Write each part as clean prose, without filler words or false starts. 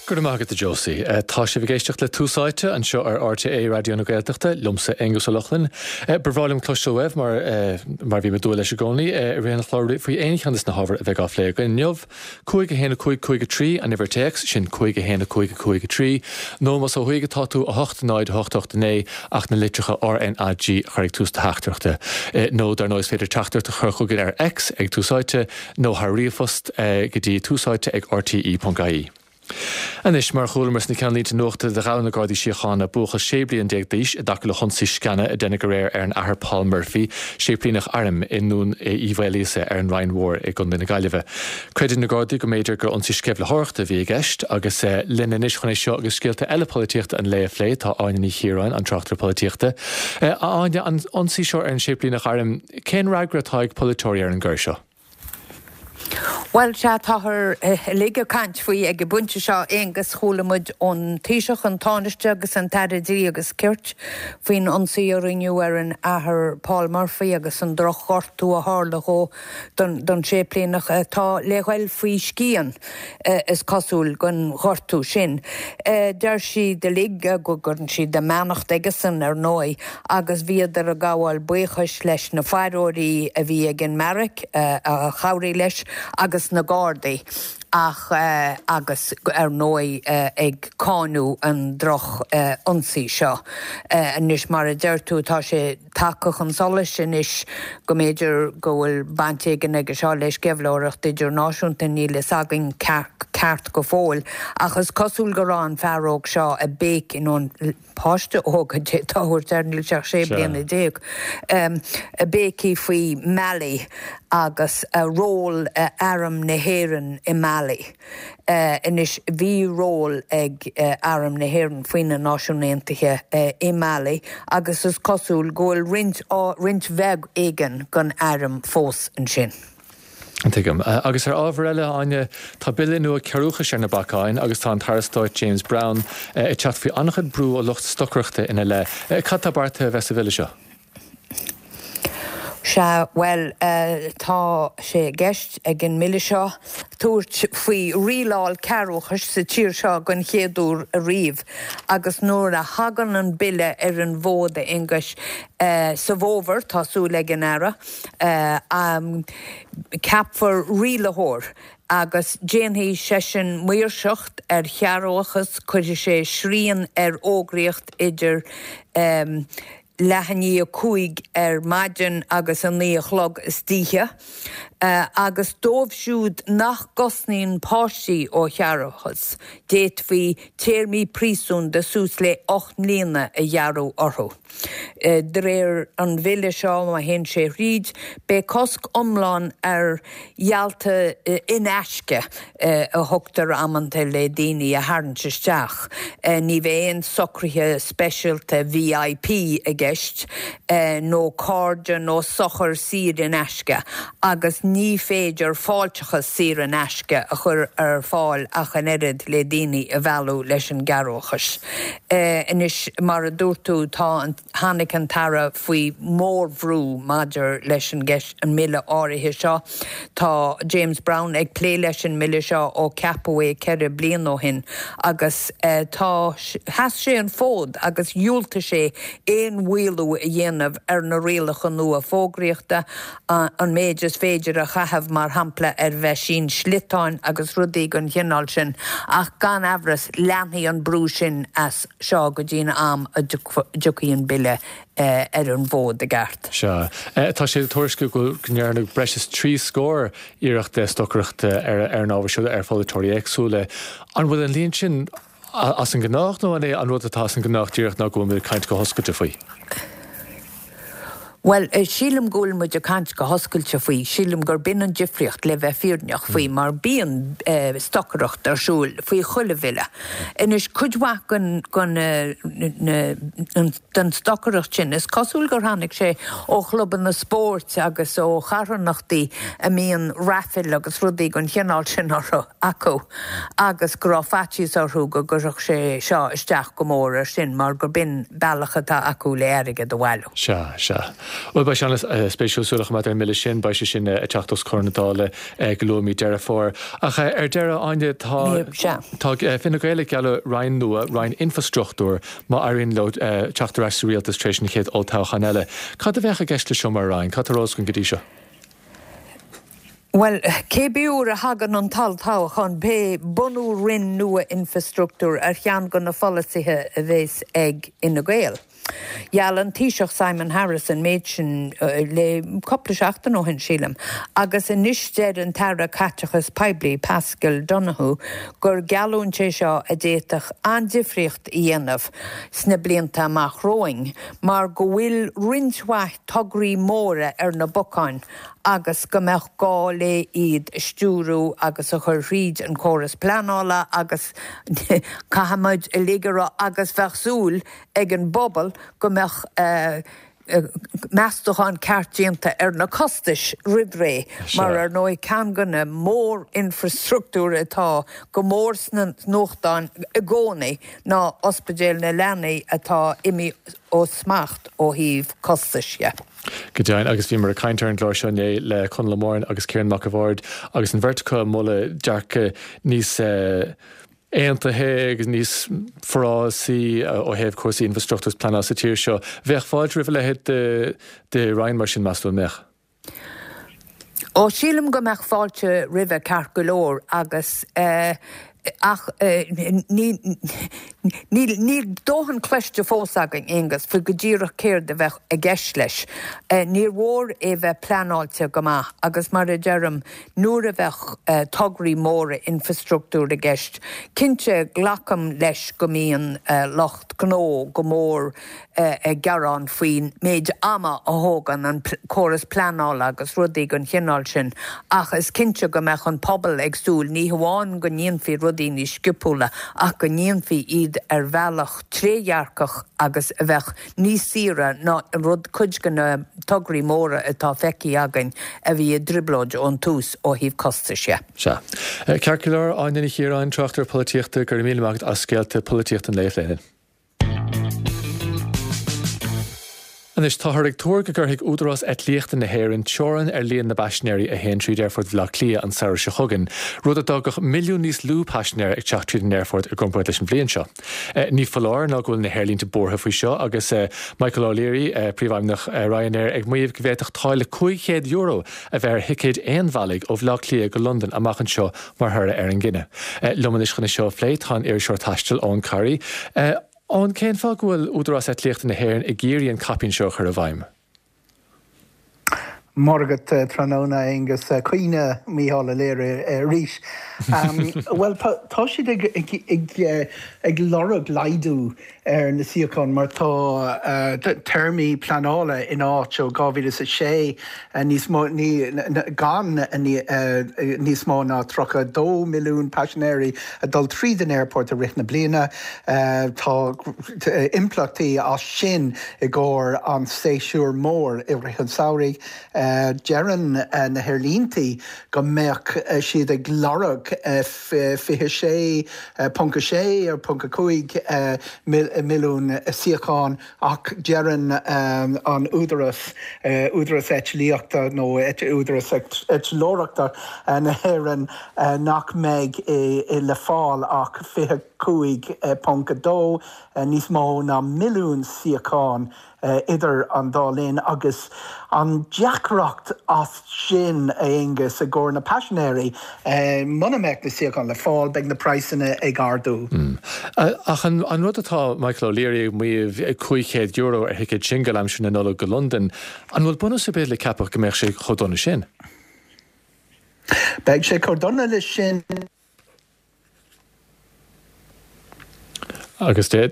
Go raibh maith agat a Josie. Tá sibh ag éisteacht le Tús Áite anseo ar RTÉ Raidió na Gaeltachta, liomsa Aonghus Ó Lochlainn. Ba bhreá liom cloisteáil uaibh mar mar a bhím ag dúil leis i gcónaí i rith an chláir faoi aon cheann de na hábhair a bheidh á phlé againn inniu. 5 1 5 5 3 an uimhir téacs, sin 5 1 5 5 3, nó más ó thuaidh atá tú 8 0 8 8 9 ach na litreacha R N A G a chur ag tús do theachtaireachta. Nó dar ndóigh is féidir teachtaireacht a chur chugainn ar X ag Tús Áite nó thar ríomhphost go dtí túsáite ag rte.ie. Anois, mar a chualamar sna ceannlínte nuachta, do ghabh na Gardaí Síochána buachaill 16 bliain d'aois i dtaca le hionsaí sceana a deineadh aréir ar an Athair Paul Murphy, séiplíneach airm i nDún Uí Mhaoilíosa ar an Rinn Mhór i gContae na Gaillimhe. Creideann na Gardaí go mb'fhéidir gur ionsaí sceimhlitheoireachta a bhí i gceist agus linn anois chun é seo agus scéalta eile polaitíochta an lae a phlé tá Áine Ní Chiaráin, an tráchtaire polaitíochta. A Áine, an ionsaí seo ar an séiplíneach airm, cén fhreagra atá ag polaiteoirí ar an gcoir seo? Bhuel, sea, táthar uilig ag caint faoi ag an bpointe seo, Aonghus. Chuala muid ón Taoiseach, an Tánaiste agus an tAire Dlí agus Cirt faoin ionsaí a rinneadh ar an Athair Paul Murphy agus an drochghortú a tharla dhó, don séiplíneach atá le ghoil faoi scian, is cosúil, den ghortú sin. Deir siad uilig go gcuireann siad a mbeannacht aigesan, ar ndóigh, agus bhíodar ag gabháil buíochais leis na faireoirí a bhí ag an mbeairic a chabhraigh leis agus na Gardaí ach agus ar ndóigh ag cáineadh an droch ionsaí seo. Anois mar a deir tú tá sé tagtha chun solais anois go mb'fhéidir go bhfuil baint éigin aige seo le sceimhlitheoireacht idirnáisiúnta, níl fhios againn ceart go fóill, ach is cosúil go raibh an fear óg seo ag béicigh, nó an páiste óg a d'fhéadfá a thabhairt air, níl sé ach 16 bliana, ag béicigh faoi Mali agus ról Arm na hÉireann i Mali. Anois, bhí ról ag Arm na hÉireann faoi na Náisiúin Aontaithe i Mali agus is cosúil go bhfuil roinnt, roinnt bheag éigin den airm fós ansin. Tuigim. Agus ar ábhar eile, a Áine, tá bille nua cearrbhachais ar na bacáin agus tá an tAire Stáit James Browne ag teacht faoi an-chuid brú ó lucht stocaireachta ina leith. Cad tá beartaithe a bheith sa bhille seo? Sea, bhuel, tá sé i gceist ag an mbille seo tabhairt faoi rialáil cearrbhachais sa tír seo den chéad uair ariamh agus nuair a thagann an bille ar an bhfód, a Aonghuis, sa bhfómhar, tá súil ag an Aire, ceapfar rialaitheoir agus déanfaidh seisean maoirseacht ar chearrbhachas, cuirfidh sé srian ar fhógraíocht idir leath i ndiaidh 5 ar maidin agus 9 a chlog istoíche, agus dóibh siúd nach gcosnaíonn páistí ó chearrbhachas, d'fhéadfaí téarmaí príosúin de suas le 8 mbliana a ghearradh orthu. De réir an bhille seo, má théann sé thríd, beidh cosc iomlán ar gheallta in aisce a thugtar amanta le daoine a tharraingt isteach. Ní bheidh aon socruithe speisialta VIP i gceist, nó cairde nó sochair saor in aisce, agus ní féidir fáilteachas saor in aisce a chur ar fáil ach an oiread le daoine a mhealladh leis an gcearrbhachas. Anois, mar a dúirt tú, tá an, tháinig an tAire faoi mhórbhrú maidir leis an gceist, an mbille áirithe seo. Tá James Browne ag plé leis an mbille seo ó ceapadh é 4 bliana ó shin agus tá, sheas sé an fód agus dhiúltaigh sé aon mhaolú a dhéanamh ar na rialacha nua fógraíochta, an méid is féidir a chaitheamh, mar shampla, ar mheaisín sliotáin agus rudaí den chineál sin, ach gan amhras leanfaidh an brú sin as seo go dtí an am a dtiocfaidh an bille ar an bhfód i gceart. Sea. Tá sé le tuairisciú go ndearnadh breis is 30 scór iarracht stocaireachta ar an ábhar seo ar pholaiteoirí éagsúla. An bhfuil an líon sin as an ngnách nó an é an rud atá as an ngnách díreach ná go bhfuil muid ag caint go hoscailte faoi? Bhuel, sílim go bhfuil muid ag caint go hoscailte faoi. Sílim gurb in an difríocht, le bheith fírinneach faoi, mar bíonn stocaireacht ar siúl faoi chuile bhille. Anois, cuid mhaith den, den, den stocaireacht sin, is cosúil gur tháinig sé ó chlubanna spóirt agus ó charthanachtaí a mbíonn raifil agus rudaí den chineál sin orthu, acu. agus go raibh faitíos orthu go gcuirfeadh sé seo isteach go mór air sin mar gurb in bealach atá acu le airgead a bhailiú. Sea, sea. Bhuel, beidh sé an-spéisiúil súil a choimeád ar an mbille sin. Beidh sé sin ag teacht os comhair na Dála go luath i mí Deireadh Fómhair. Ach ar deireadh, Áine, tá tá Fine Gael ag gealladh roinn nua, roinn infrastruchtúir, má éiríonn leo teacht ar ais sa rialtas tar éis an chéad olltoghcháin eile. Cad a bheadh i gceist leis seo mar roinn? Cad tá ar eolas againn go dtí seo? Bhuel, cébí uair a thagann an t-olltoghchán, beidh bunú roinn nua infrastruchtúir ar cheann de na pholasaithe a bheas ag Fhine Gael. Gheall an Taoiseach Simon Harris an méid sin le cúpla seachtain ó shin, sílim, agus anois deir an tAire Caiteachais Poiblí, Paschal Donohoe, gur geallúint é seo a d'fhéadfadh an-difríocht a dhéanamh sna blianta amach romhainn mar go bhfuil roinnt mhaith tograí móra ar na bacáin agus go mbeadh gá le iad a stiúrú agus a chur thríd an córas pleanála agus caithfimid uilig a rá agus bheadh súil ag an bpobal go mbeadh meastachán ceart déanta ar na costais roimh ré mar ar ndóigh ceann de na mór-infrastruchtúir atá go mór sna nuachtáin i gcónaí ná ospidéal na leanaí atá imithe ó smacht ó thaobh costais dhe. Go deimhin, agus bhíomar ag caint ar an gclár seo inné le Conall Ó Móráin agus Ciarán Mac a' Bhaird agus an bheirt acu ag moladh dearcadh níos aontaithe agus níos forásaí ó thaobh cúrsaí infrastruchtúir is pleanála sa tír seo. Bheadh fáilte roimh a leithéid de roinn mar sin, meas tú, an mbeadh? Ó, sílim go mbeadh fáilte roimhe ceart go leor agus ach níl níl dóthain cloiste fós againn, Aonghus, faoi go díreach céard a bheadh i gceist leis. Níor mhór é bheith pleanáilte go maith agus mar a deirim, nuair a bheadh tograí móra infrastruchtúir i gceist. Cinnte, glacaim leis go mbíonn lucht gnó go mór ag gearán faoin méid ama a thógann an córas pleanála agus rudaí den chineál sin ach is cinnte go mbeadh an pobal ag súil ní hamháin go ndéanfaí rudaí níos sciopúla ach go ndéanfaí iad ar bhealach trédhearcach agus a bheadh níos saoire ná rud cuid de na tograí móra atá feicthe againn a bhí i dtrioblóid ón tús ó thaobh costais dhe. Sea. Ceart go leor, Áine Ní Chiaráin, tráchtaire polaitíochta, go raibh míle maith agat as scéalta polaitíochta an lae a phlé linn. Anois, táthar ag tuar go gcuirfidh Údarás Eitlíochta na hÉireann teorainn ar líon na bpaisinéirí a théann tríd Aerfort Bhaile Átha Cliath an samhradh seo chugainn, rud a d'fhágfadh milliún níos lú paisinéir ag teacht tríd an aerfort i gcomparáid leis an bhliain seo. Ní foláir ná go bhfuil na haerlínte buartha faoi seo agus Michael O'Leary, Príomhfheidhmeannach Ryanair, ag maíomh go bhféadfadh táille €500 a bheith ar thicéid aon-bhealaigh ó Bhaile Átha Cliath go Londain amach anseo mar thoradh ar an gcinneadh. Liom anois chun é seo a phlé tá an iriseoir taistil Eoin Corry. Eoin, cén fáth go bhfuil Údarás Eitlíochta na hÉireann ag iarraidh an caipín seo a chur i bhfeidhm? Móra agat tráthnóna, a Aonghus. Caoineadh Mícheál O'Leary arís. Bhuel, tá siad ag lorg laghdú ar na suíocháin mar tá téarmaí pleanála in áit ó 2006 níos mó, gan níos mó ná 32 milliún paisinéirí ag dul tríd an aerfort i rith na bliana. Tá impleachtaí as sin i gcomhair an séasúr mór i rith an samhraidh. Deireann na haerlíntí go mbeadh siad ag lorg 26.6 ar .5 milliún suíochán ach deireann an Údarás, Údarás Eitlíochta nó Údarás Eitleoireachta na hÉireann nach mbeidh le fáil ach 25.2 níos mó ná milliún suíochán idir an dá linn agus an deacracht as sin, a Aonghus, i gcomhair na paisinéirí, muna mbeadh na suíocháin le fáil, beidh na praghsanna ag ardú. Ach an rud atá Michael O'Leary ag maíomh, €500 ar thicéad singil aimsir na Nollag go Londain, an bhfuil bunús ar bith le ceapadh go mbeadh sé chomh dona sin? Beidh sé chomh dona leis sin. Agus tá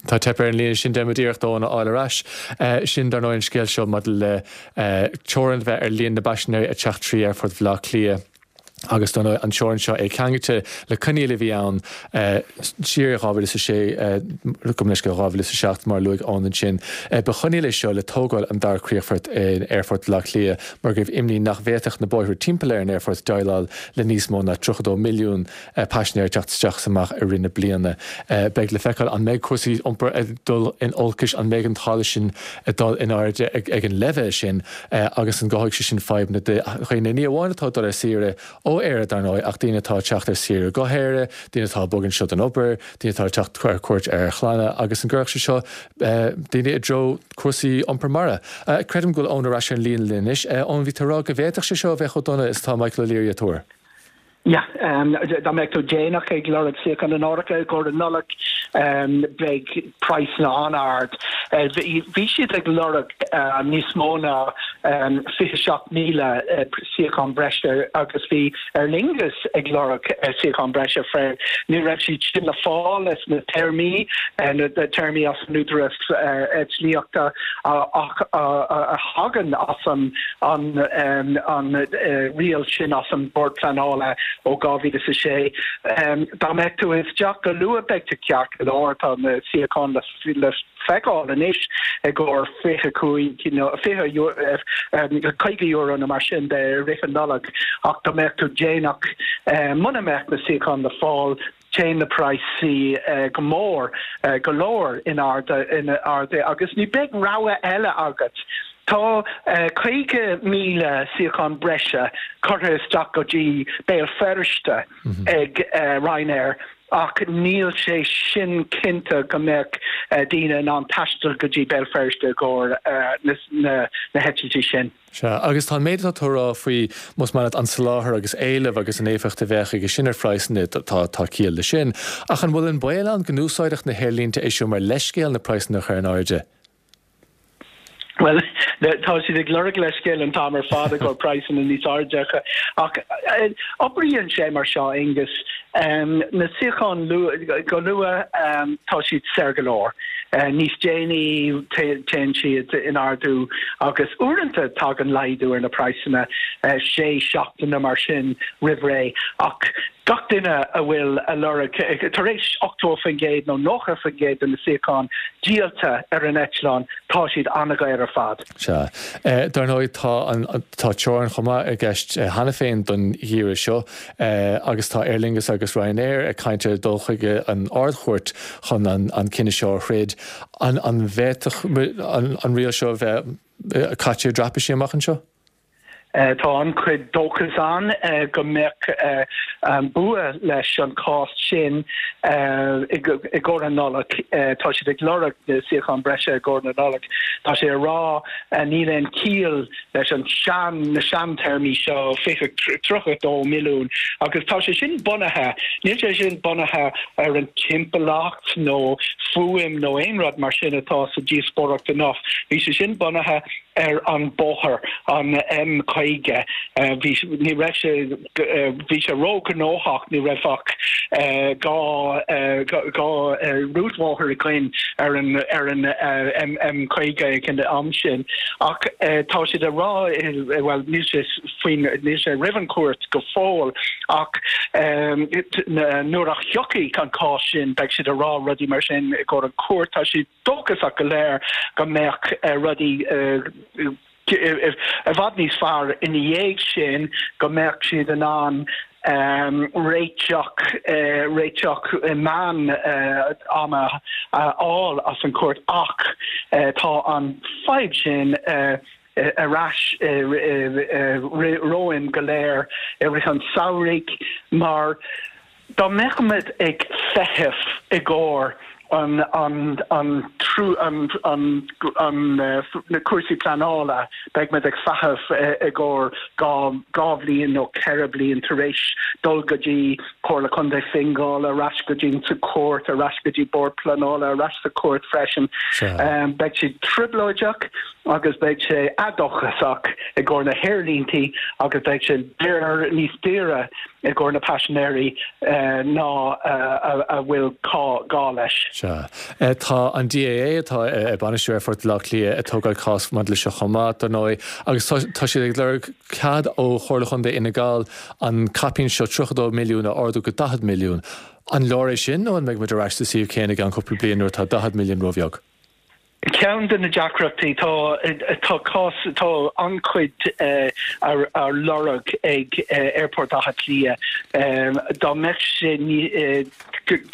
tá teip ar an líne sin, déanfaimid iarracht Eoin a fháil ar ais. Sin, dar ndóigh, an scéal seo maidir le teorainn a bheith ar líon na bpaisinéirí ag teacht trí Aerfort Bhaile Átha Cliath. Agus dar ndóigh, an teorainn seo é ceangailte le coinníoll a bhí ann siar i 2006, gabh mo leithscéal, 2007, mar a luaigh Eoin ansin. Ba choinníoll é seo le tógáil an dara críochfort in Aerfort Bhaile Átha Cliath mar go raibh imní nach bhféadfadh na bóithre timpeall ar an aerfort déileáil le níos mó ná 32 milliún paisinéir ag teacht isteach is amach i rith na bliana. Beidh le feiceáil an mbeidh cúrsaí iompair ag dul in olcais, an mbeidh an táille sin ag dul in airde ag an leibhéal sin agus an gcothóidh sé sin fadhbanna do dhaoine, ní amháin atá ag dul ar saoire ó Éire dar ndóigh ach daoine atá ag teacht ar saoire go hÉire, daoine atá ag bogadh anseo don obair, daoine atá ag teacht ar cuairt ar chlanna agus an gcuirfeadh sé seo daoine i dtreo cúrsaí iompar mara. Creidim go bhfuil Eoin ar ais ar an líne linn anois. Eoin, bhí tú ag rá go bhféadfadh sé seo a bheith chomh dona is atá Michael O'Leary ag tuar. Yeah, dá mbeadh tú déanach ag lorg suíochán in áirithe i gcomhair an Nollaig, beidh praghsanna an-ard. Bhí siad ag lorg níos mó ná 27,000 suíochán breise agus bhí Aer Lingus ag lorg suíochán breise freisin. Ní raibh siad sin le fáil leis na téarmaí, na téarmaí as an Údarás Eitlíochta ach a thagann as an an riail sin as an Bord Pleanála ó 2006. Dá mbeadh tú isteach go luath beidh tú ceart go leor, tá na suíocháin le feiceáil anois i gcomhair 25 nó €50 nó mar sin de i rith an Nollag ach dá mbeadh tú déanach, muna mbeadh na suíocháin le fáil, Téann na praghsaí go mór, go leor in airde agus ní beidh rogha eile agat. Tá 50,000 suíochán breise curtha isteach go dtí Béal Feirste ag Ryanair ach níl sé sin cinnte go mbeadh daoine in ann taisteal go dtí Béal Feirste i gcomhair na heitiltí sin. Sea, agus tá an méid atá tú a rá faoi, más maith leat, an soláthar agus éileamh agus an éifeacht a bheadh aige sin ar phraghsanna, tá, tá ciall leis sin. Ach an bhfuil an baol ann go n-úsáidfeadh na haerlínte é seo mar leithscéal na praghsanna a chur in airde? Bhuel, tá siad ag lorg leithscéal an t-am ar fad i gcomhair praghsanna níos airde ach oibríonn sé mar seo, Aengus. Na suíocháin go luath, tá siad saor go leor. Níos déanaí, téann siad in ardú agus uaireanta tagann laghdú ar na praghsanna sé seachtaine mar sin roimh ré. Ach gach duine a bhfuil a lorg, tar éis 80% nó 90% de na suíocháin díolta ar an eitleán, tá siad an-dhaor ar fad. Sea. Dar ndóigh, tá an, tá teorainn chomh maith i gceist cheana féin don gheimhreadh seo agus tá Aer Lingus agus Ryanair ag caint ar dul chuig an Ard-Chúirt chun an cinneadh seo a throid. An bhféadfadh an riail seo a bheith caite i dtraipisí amach anseo? Tá an-chuid dóchas ann go mbeadh bua leis an chás sin i gcomhair an Nollag. Tá siad ag lorg na suíochán breise i gcomhair na Nollag. Tá sé ag rá níl aon chiall leis an sean, na seantéarmaí seo, 20, 32 milliún agus tá sé sin bunaithe, níl sé sin bunaithe ar an timpeallacht nó fuaim nó aon rud mar sin atá sa díospóireacht inniu. Bhí sé sin bunaithe ar an bóthar, an M50. Bhí, ní raibh sé, bhí sé róghnóthach, ní raibh ach 2, 2 rúidbhóthar againn ar an, ar an M50 ag an am sin. Ach tá siad ag rá, bhuel, níl sé faoin, níl sé roimh an chúirt go fóill, ach nuair a thiocfaidh an cás sin, beidh siad ag rá rudaí mar sin i gcomhair an chúirt. Tá siad. dóchasach go léir go mbeadh rudaí i bhfad níos fearr ina dhiaidh sin, go mbeadh siad in ann réiteach réiteach meán ama a fháil as an chúirt ach tá an fadhb sin ar ais romhainn go léir i rith an samhraidh mar dá mbeadh muid ag feitheamh i gcomhair an an an an an an na cúrsaí pleanála beidh muid ag feitheamh i gcomhair 2 bhliain nó 4 bliain tar éis dul go dtí Comhairle Contae Fingal, ar ais go dtí sa chúirt, ar ais go dtí Bord Pleanála, ar ais sa chúirt freisin. Beidh sé trioblóideach agus beidh sé éadóchasach i gcomhair na haerlíntí agus beidh sé daor níos daoire. I gcomhair na paisinéirí ná a bhfuil gá leis. Sea. Tá an DAA, atá ag bainistiú Aerfort Bhaile Átha Cliath, ag tógáil cás maidir leis seo chomh maith, dar ndóigh, agus tá siad ag lorg cead ó Chomhairle Chontae Fhine Gall an caipín seo, 32 milliún, a ardú go 40 milliún. An leor é sin nó an mbeidh muid ar ais sa suíomh céanna i gceann cúpla bliain nuair atá 40 milliún róbheag? Ceann de na deacrachtaí, tá tá cás, tá an-chuid á lorg ag Aerfort Átha Cliath. Dá mbeadh sé,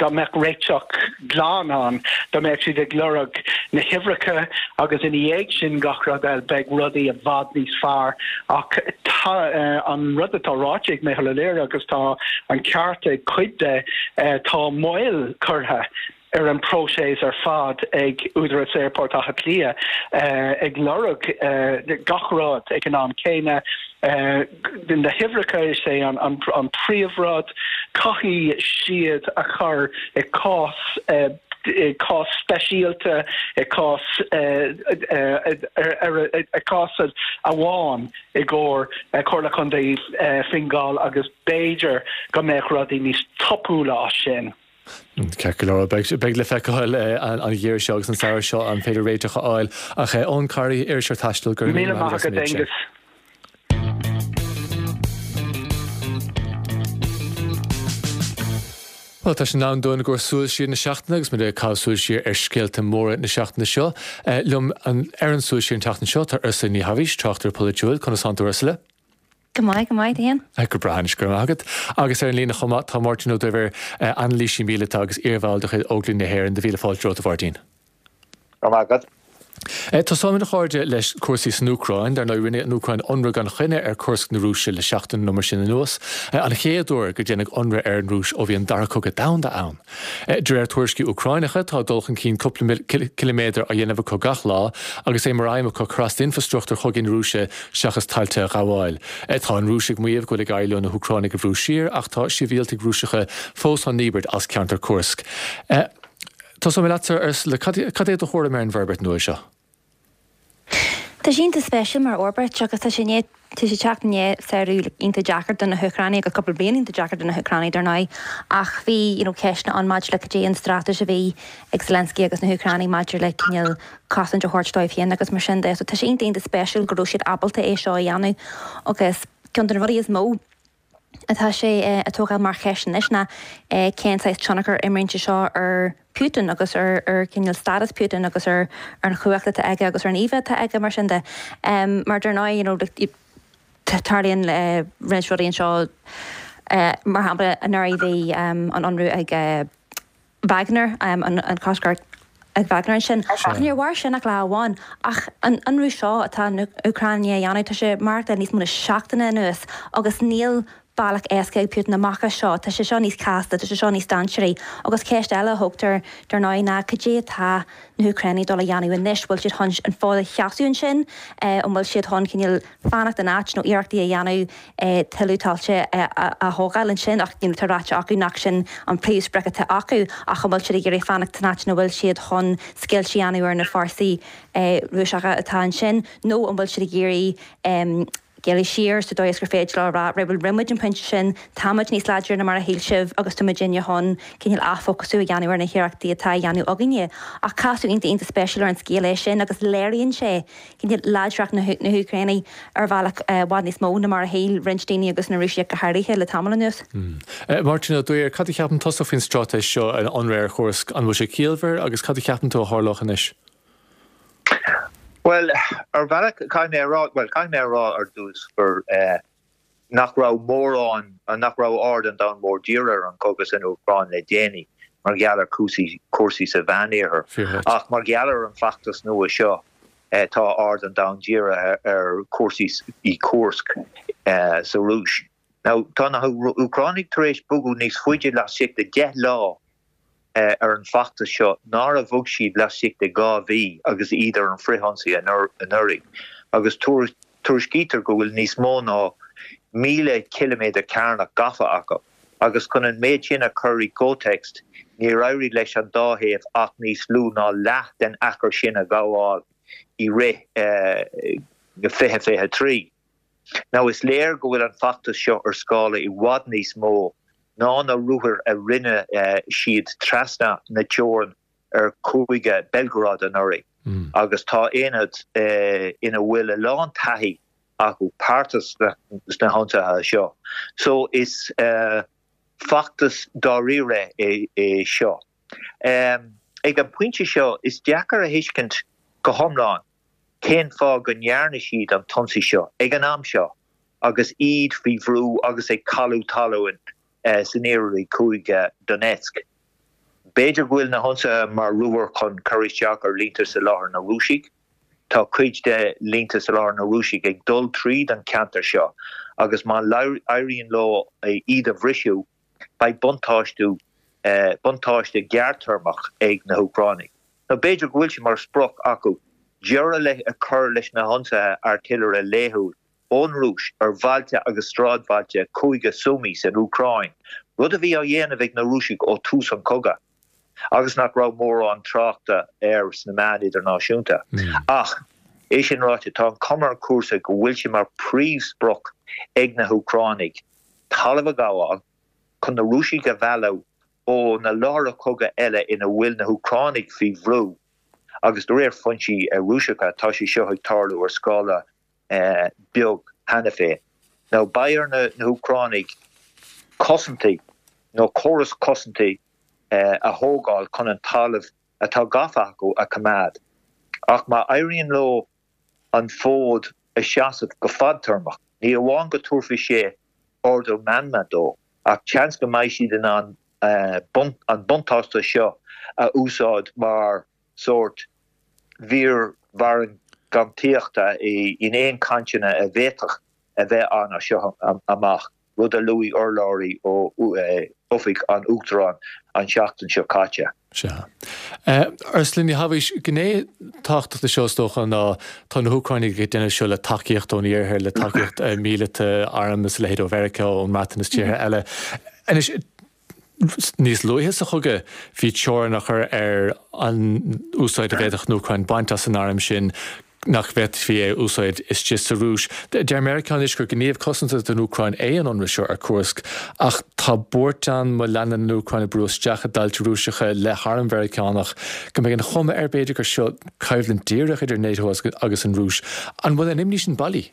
dá mbeadh réiteach glan ann, dá mbeadh siad ag lorg na huimhreacha agus ina dhiaidh sin gach rud eile, beidh rudaí i bhfad níos fearr. Ach tá an rud atá ráite ag Micheál Ó Laoire, agus tá an ceart ag cuid de, tá moill curtha ar an bpróiseas ar fad ag Údarás Aerfort Átha Cliath ag lorg gach rud ag an am céanna. Na huimhreacha, is é an príomhrud. Caithfidh siad a chur i cás i cás speisialta, i cás i cás amháin i gcomhair Comhairle Contae Fine Gall agus b'fhéidir go mbeadh rudaí níos tapúla as sin. Ceart go leor, beidh le feiceáil an geimhreadh seo agus an samhradh seo an féidir réiteach a fháil. Ach Eoin Corry, iriseoir taistil, go raibh míle maith agat as an méid sin. Bhuel, tá sé in am dúinn i gcomhair súil siar na seachtaine agus muid ag caitheamh súil siar ar scéalta móra na seachtaine seo. Liom ar an súil siar an tseachtain seo tá Ursula Ní Thaibhís, tráchtaire polaitiúil. Conas tánn tú Ursula? Go maith, go maith, tú fhéin? Go breá anois, go raibh maith agat. Agus ar an líne chomh maith tá Máirtín Ó Duibhir, anailísí míleata agus iarbhall de chuid Óglaigh na hÉireann. Do mhíle fáilte romhat, a Mháirtín. Go raibh maith agat. Tosóimid, a chairde, leis cúrsaí san Úcráin. Dar ndóigh, rinne an Úcráin ionradh gan choinne ar Kursk na Rúise le seachtain nó mar sin anuas. An chéad uair gur déanadh ionradh ar an Rúis ó bhí an Dara Cogadh Domhanda ann. De réir tuairiscí Úcráineacha, tá dul chun cinn cúpla ciliméadar á dhéanamh acu gach lá agus é mar aidhm acu cur as d'infreastruchtúr chogaidh na Rúise seachas tailte a ghabháil. Tá an Rúis ag maíomh go bhfuil ag éirí leo na hÚcránaigh a bhrú siar ach tá sibhialtaigh Rúiseacha fós á ndíbirt as ceantar Kursk. Tosóidh mé leatsa, Ursula, cad é do thuairim ar an bhforbairt nua seo? Tá sé iontach spéisiúil mar fhorbairt agus tá sé i ndiaidh, tá sé ag teacht i ndiaidh samhradh iontach deacair do na hÚcránaigh agus cúpla bliain iontach deacair do na hÚcránaigh dar ndóigh ach bhí you know ceisteanna ann maidir le cad é an straitéis a bhí ag Zelensky agus na hÚcránaigh maidir le cineál cosaint a thabhairt dóibh féin agus mar sin de. So tá sé iontach iontach spéisiúil go raibh siad ábalta é seo a dhéanamh agus ceann de na rudaí is mó atá sé ag tógáil mar cheist anois ná cén saghas tionchar a imríonn sé seo ar Putin agus ar ar cineál stádas Putin agus ar an chumhacht atá aige agus ar an íomhá atá aige mar sin de. Mar dar ndóigh you know tarlaíonn roinnt rudaí anseo mar shampla anuraidh bhí an ionradh ag Wagner, an cosc ag Wagner ansin. Ach níor mhair sin ach lá amháin. Ach an ionradh seo atá an Úcráin i ndiaidh a dhéanamh, tá sé ag maireachtáil níos mó ná seachtain anuas agus níl bealach éasca ag Putin amach as seo. Tá sé seo níos casta, tá sé seo níos dainséaraí. Agus ceist eile a thógtar, dar ndóigh, ná cad é atá na hÚcránaigh dul a dhéanamh anois? Bhfuil siad chun an fód a sheasamh ansin? An bhfuil siad chun cineál fanacht in áit nó iarrachtaí a dhéanamh tuilleadh tailte a thógáil ansin ach you know tá ráite acu nach sin an príomhsprioc atá acu ach an bhfuil siad ag iarraidh fanacht san áit ina bhfuil siad chun scoilt a dhéanamh ar na fórsaí Rúiseacha atá ansin nó an bhfuil siad ag iarraidh géilleadh siar sa dóigh is gur féidir leo a rá right bhuel rinne muid an pointe sin, tá muid níos láidre ná mar a shíl sibh agus tá muidinne chun cineál athfhócasú a dhéanamh ar na hiarrachtaí atá á dhéanamh againne. Ach casadh iontach iontach spéisiúil ar an scéal é sin agus léiríonn sé cineál láidreacht na hÚcráine ar bhealach i bhfad níos mó ná mar a shíl roinnt daoine agus na Rúisigh go háirithe le tamall anuas. Máirtín Ó Duibhir, cad a cheapann tusa faoin straitéis seo, an ionradh ar Chursk, an bhfuil sé ciallmhar agus cad a cheapann tú a tharlódh anois? Bhuel, ar bhealach, caithfidh mé a rá, bhuel, caithfidh mé a rá ar dtús gur eh, nach raibh mórán, nach raibh aird an domhain mhóir dírithe ar an chogadh san Úcráin le déanaí mar gheall ar chúrsaí, cúrsaí sa Mheánoirthear. Ach mar gheall ar an bhfeachtas nua seo, tá aird an domhain dírithe ar chúrsaí i Kursk sa Rúis. Now, tá na hÚcránaigh tar éis bogadh níos faide laistigh de 10 lá ar an bhfeachtas seo ná a bhog siad laistigh de 2 mhí agus iad ar an bhfrithionsaí anuraidh, agus tuairiscítear go bhfuil níos mó ná 1,000 ciliméadar cearnach gafa acu, agus chun an méid sin a chur i gcomhthéacs, níor éirigh leis an dá thaobh ach níos lú ná leath den achar sin a ghabháil i rith 2023. Now is léir go bhfuil an feachtas seo ar scála i bhfad níos mó ná na ruathair a rinne siad trasna na teorann ar chúige Belgorod anuraidh agus tá aonad ina bhfuil a lán taithí acu páirteach sna hionsaithe seo. So is feachtas dáiríre é seo. Ag an bpointe seo is deacair a thuiscint go hiomlán cén fáth go ndearna siad an t-ionsaí seo ag an am seo agus iad faoi bhrú agus ag cailleadh talún san iarthar i gcúige Donetsk. B'fhéidir go bhfuil na hionsaithe mar ruathar chun cur isteach ar línte soláthair na Rúisigh. Tá cuid de línte soláthair na Rúisigh ag dul tríd an ceantar seo agus má éiríonn leo iad a bhriseadh, beidh buntáiste buntáiste gearrtéarmach ag na hÚcránaigh. Nó b'fhéidir go bhfuil sé mar sprioc acu deireadh le a chur leis na hionsaithe airtillire laethúil ón Rúis ar bhailte agus sráidbhailte Chúige Sumy san Úcráin, rud a bhí á dhéanamh ag na Rúisigh ó thús an chogaidh agus nach raibh mórán tráchta air sna meáin idirnáisiúnta. Ach, é sin ráite, tá an chuma ar chúrsaí go bhfuil sé mar phríomhsprioc ag na hÚcránaigh talamh a ghabháil chun na Rúisigh a mhealladh ó na láithreacha cogaidh eile ina bhfuil na hÚcránaigh faoi bhrú agus de réir foinsí Rúiseacha tá sé seo ag tarlú ar scála beag cheana féin. Now beidh ar na hÚcránaigh cosaintí nó córas cosaintí a thógáil chun an talamh atá gafa acu a choimeád. Ach má éiríonn leo an fód a sheasamh go fadtéarmach, ní amháin go dtabharfaidh sé ardú meanma dóibh, ach seans go mbeidh siad in ann an buntáiste seo a úsáid mar sórt mhír mhargaíochta in aon chainteanna a bhféadfadh a bheith ann as seo amach, rud a luaigh urlabhraí ó Oifig an Uachtaráin an tseachtain seo caite. Sea. Ursula Ní Thaibhis, gné tábhachtach de seo is dócha ná tá na hÚcránaigh ag déanamh seo le tacaíocht ón Iarthar, le tacaíocht míleata, arm is a leithéid ó Mheiriceá, ón mBreatain is tíortha eile. Anois, Níos luaithe sa chogadh, bhí teorainn á chur ar an úsáid a bhféadfadh an Úcráin baint as an arm sin, nach bhféadfaí é a úsáid istigh sa Rúis. Deir Meiriceá anois gur gníomh cosanta don Úcráin é an ionradh seo ar Kursk, ach tá buairt ann má leanann an Úcráin ag brú isteach i dtailte Rúiseacha le harm Mheiriceánach, go mbeidh an chuma air b'fhéidir gur seo coimhlint díreach idir NATO agus an Rúis. An bhfuil an imní sin bailí?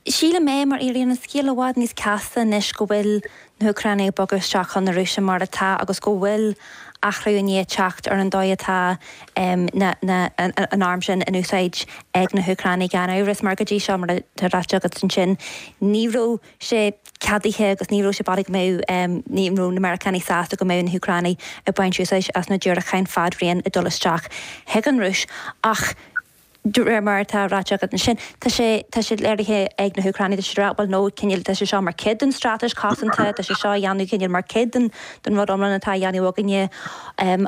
Sílim é, mar éiríonn an scéal i bhfad níos casta anois go bhfuil na hÚcránaigh ag bogadh isteach chun na Rúise mar atá agus go bhfuil athrú i ndiaidh teacht ar an dóigh atá an arm sin in úsáid ag na hÚcránaigh gan amhras mar go dtí seo, mar atá ráite agat ansin, ní raibh sé ceadaithe agus ní raibh sé bailí go mbeadh, ní raibh na Meiriceánaigh sásta go mbeadh na hÚcránaigh ag baint úsáid as na diúracáin fadraoin ag dul isteach chuig an Rúis ach De réir mar atá ráite agat ansin, tá sé, tá sé léirithe ag na hÚcránaigh, tá siad ag rá, bhuel no, cineál, tá sé seo mar chuid den straitéis cosanta, tá sé seo á dhéanamh cineál mar chuid den, den rud iomlán atá á dhéanamh againne.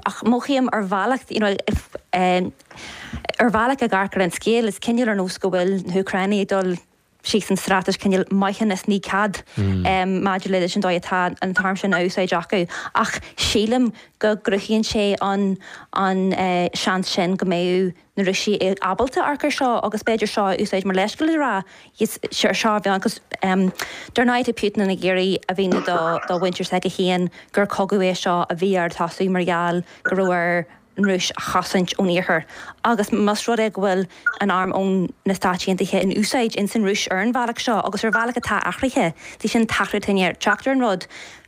Ach mothaím ar bhealach, you know, ar bhealach ag amharc ar an scéal, is cineál ar nós go bhfuil na hÚcránaigh ag dul, síos an straitéis cineál maithiúnas ní cead maidir leis an dóigh atá an t-arm sin á úsáid acu. Ach sílim go gcruthaíonn sé an an seans sin go mbeadh na Rúisigh ábalta amharc ar seo agus b'fhéidir seo a úsáid mar leithscéal le rá yes seo a bhean agus dar ndóigh tá Putin ag iarraidh a mhíniú do do mhuintir s'aige féin gur cogadh é seo a bhí air tosú mar gheall go raibh air an Rúis a chosaint ón Iarthar agus más rud é go bhfuil an arm ón na Stáit Aontaithe in úsáid ins an Rúis ar an bhealach seo agus ar bhealach atá athraithe, tá sin an t-athrú atá i ndiaidh teacht ar an rud,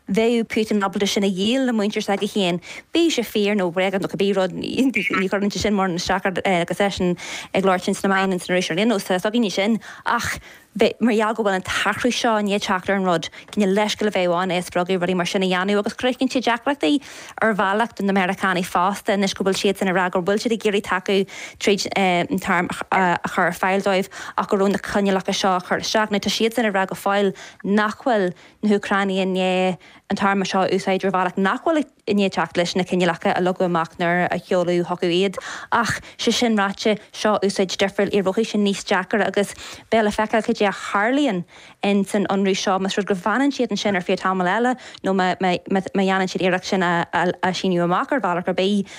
bheadh Putin ábalta sin a dhíol le muintir s'aige féin, bíodh sé fíor nó bréagach nó cibé rud, ní chuireann sé sin mórán isteach air agus eisean ag labhairt ins na meáin ins an Rúis ar aon nós, tá a fhios againne sin ach. bheith, mar gheall go bhfuil an t-athrú seo i ndiaidh teacht ar an rud, cineál leithscéal a bheadh ann é a spreagadh rudaí mar sin a dhéanamh agus cruthaíonn sé deacrachtaí ar bhealach do na Meiriceánaigh fosta anois go bhfuil siadsan ag rá go bhfuil siad ag iarraidh tacú tríd an t-arm a chur ar fáil dóibh ach go raibh na coinníollacha seo á chur isteach. Now tá siadsan ag rá go fóill nach bhfuil na hÚcránaigh i ndiaidh an t-arm seo a úsáid ar bhealach nach bhfuil ag i ndiaidh teacht leis na coinníollacha a leagadh amach nuair a sheoladh chucu iad. Ach, sé sin ráite, seo úsáid difriúil, éireoidh sé níos deacair agus beidh le feiceáil cad é a tharlaíonn in san ionradh seo, más rud go bhfanann siad ansin ar feadh tamall eile nó má dhéanann siad iarracht sin a síneadh amach ar bhealach ar bith.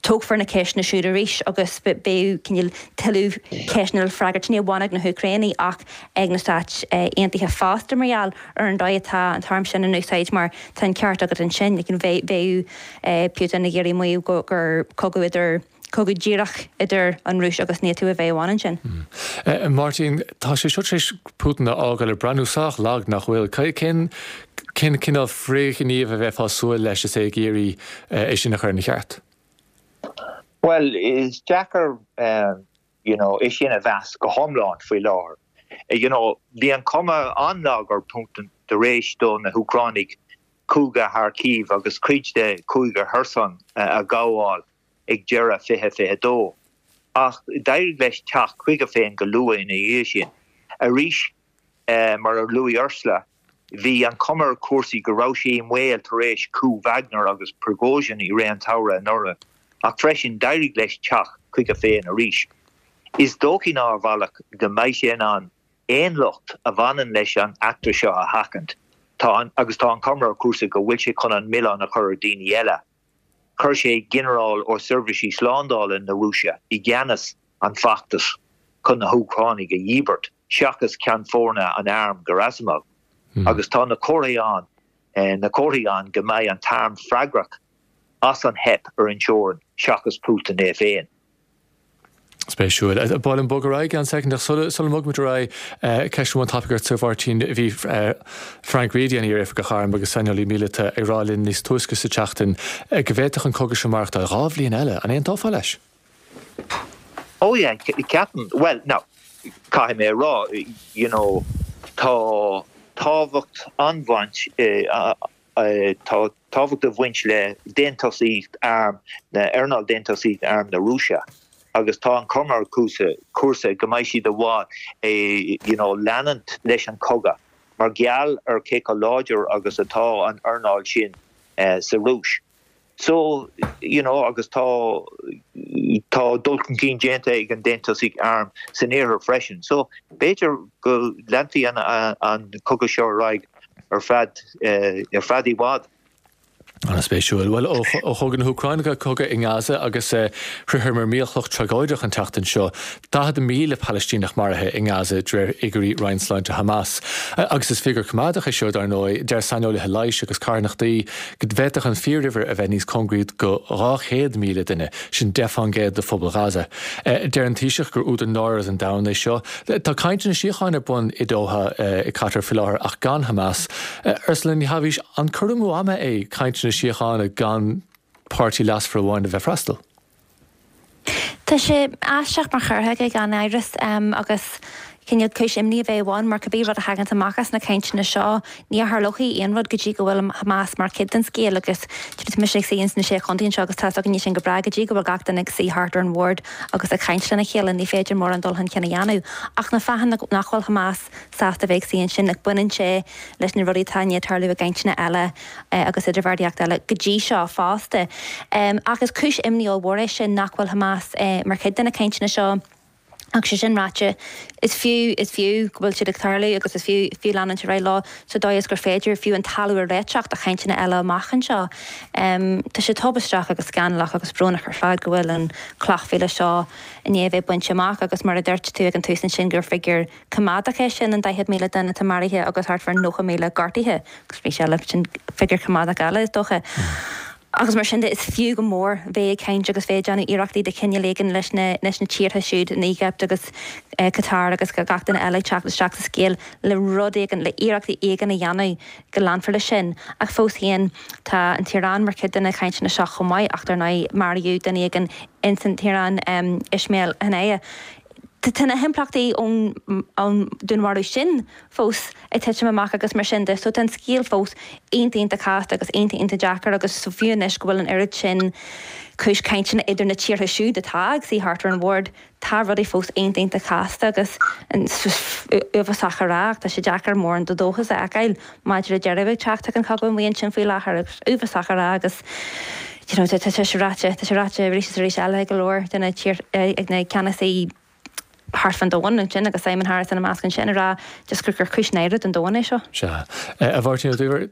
Tógfar na ceisteanna siúd arís agus beidh cineál tuilleadh ceisteanna le freagairt, ní amháin ag na hÚcránaigh ach ag na Stáit Aontaithe fosta mar gheall ar an dóigh atá an t-arm sin in úsáid mar tá an ceart agat ansin, bheadh Putin ag iarraidh maíomh gur cogadh idir, cogadh díreach idir an Rúis agus NATO a bheadh ann ansin. Máirtín, tá sé seo tar éis Putin a fhágáil ag breathnú sách lag, nach bhfuil? Cén cén cineál frithghníomh a bheifeá ag súil leis is é ag iarraidh é sin a chur ina cheart? Bhuel, is deacair you know é sin a mheas go hiomlán faoi láthair. You know, bhí an chuma an-lag ar Putin tar éis do na hÚcránaigh cúige Kharkiv agus cuid de chúige Kherson a ghabháil ag deireadh 2022. Ach d'éirigh leis teacht chuige féin go luath ina dhiaidh sin. Arís, mar a luaigh Ursula, bhí an chuma ar chúrsaí go raibh sé i mbaol tar éis coup Wagner agus Prigozhin i rith an tsamhraidh anuraidh, ach freisin d'éirigh leis teacht chuige féin arís. Is dóichí ná a mhalairt go mbeidh sé in ann aon locht a bhaineann leis an eachtra seo a sheachaint. Tá an, agus tá an chuma ar chúrsaí go bhfuil sé chun an milleán a chur ar dhaoine eile. Chuir sé ginearál ó seirbhísí slándála na Rúise i gceannas an feachtais chun na hÚcránaigh a dhíbirt, seachas ceann foirne an airm Gerasimov. Agus tá na comharthaí ann, na comharthaí ann go mbeidh an t-arm freagrach as an theip ar an teorainn seachas Putin é féin. Spéisiúil. Ba mhaith liom bogadh ar aghaidh i gceann soicind ach sula mbogaimid ar aghaidh, ceist amháin tapaidh ort, a Mháirtín. Bhí Frank Reidy, an iar-oifigeach airm agus saineolaí míleata, ag rá linn níos túisce sa tseachtain go bhféadfadh an cogadh seo maireachtáil 2 bhliain eile. An aontófá leis? Oh yeah, ceapaim, bhuel, now, caithfidh mé a rá, you know, tá tábhacht an-bhaint, Tá tábhacht ag baint le déantúsaíocht arm, earnáil déantúsaíocht arm na Rúise agus tá an chuma ar chúrsaí go mbeidh siad i bhfad you know leanúint leis an chogadh mar gheall ar cé chomh láidir agus atá an earnáil sin sa Rúis. So, you know, agus tá, tá dul chun cinn déanta ag an déantúsaíocht arm san iarthar freisin. So, b'fhéidir go leanfaidh an, an cogadh seo ar aghaidh ar feadh, ar feadh i bhfad. An-spéisiúil. Bhuel, ó chogadh na hÚcráine go cogadh i nGaza agus shroicheamar mílchloch tragóideach an tseachtain seo. 40,000 Palaistíneach maraithe i nGaza de réir fhigiúirí Roinn Sláinte Hamas. Agus is figiúr coimeádach é seo, dar ndóigh. Deir saineolaithe leighis agus carthanachtaí go bhféadfadh an fíoruimhir a bheith níos cóngaraí go 200,000 duine, sin 10 fán gcéad de phobal Ghaza. Deir an Taoiseach gur údar náire don domhan é seo. Tá cainteanna síochána ar bun i Doha i gCatar faoi láthair ach gan Hamas. Ursula Ní Thaibhís, an cur amú ama é cainteanna síochána gan páirtí leasmhar amháin a bheith ag freastal? Tá sé aisteach mar chur chuige gan amhras agus cineál cúis imní a bheith ann mar cibé rud a thaganns amach as na cainteanna seo ní tharlóidh aon rud go dtí go bhfuil Hamas mar chuid den scéal agus tá mise ag suí ins na Sé Chontae anseo agus tá 's againne sin go breá go dtí go bhfuil gach duine ag suí thart ar an bhord agus ag caint lena chéile ní féidir mórán dul chun cinn a dhéanamh ach na fáthanna nach bhfuil Hamas sásta bheith ag suí ansin like baineann sé leis na rudaí atá i ndiaidh tarlú i gcainteanna eile agus idirbheartaíocht eile go dtí seo fosta. Ach is cúis imní ollmhór é sin nach bhfuil Hamas mar chuid de na cainteanna seo. Ach sé sin ráite, is fiú, is fiú go bhfuil siad ag tarlú agus is fiú, fiú leanúint ar aghaidh leo sa dóigh is gur féidir fiú an talamh a réiteach do chainteanna eile amach anseo. Tá sé tubaisteach agus scannalach agus brónach ar fad go bhfuil an cloch mhíle seo i ndiaidh a bheith bainte amach agus mar a dúirt tú ag an tús ansin gur figiúr coimeádach é sin, an 40,000 duine atá maraithe agus thart fá 90,000 gortaithe, agus arís eile, sin figiúr coimeádach eile, is dócha. Agus mar sin de, is fiú go mór bheith ag caint agus bheith ag déanamh iarrachtaí de chineál éigin leis na leis na tíortha siúd, an Éigipt agus Qatar agus gach duine eile ag teacht isteach sa scéal le rud éigin, le iarrachtaí éigin a dhéanamh go leanfar leis sin. Ach fós féin, tá an tIaráin mar chuid de na cainteanna seo chomh maith, ach dar ndóigh, maraíodh duine éigin ins an tIaráin, Ismail Haniyeh. Tá na himpleachtaí ón dúnmharú sin fós ag titim amach agus mar sin de. So tá an scéal fós iontach iontach casta agus iontach iontach deacair agus so fiú anois go bhfuil an oiread sin cúis cainteanna idir na tíortha siúd atá ag suí thart ar an bhord, tá rudaí fós iontach iontach casta agus uafásach a rá ach tá sé deacair mórán de dhóchas a fheiceáil maidir le deireadh ag teacht ag an chogadh amuigh ansin faoi láthair agus uafásach a rá agus you know tá sé ráite, tá sé ráite arís is arís eile ag go leor de na tír, ag na ceannasaí. thart fán domhan ansin agus Simon Harris ina measc ansin ag rá just gur gur cúis náire don domhan é seo. Sea. A Mháirtín Ó Duibhir,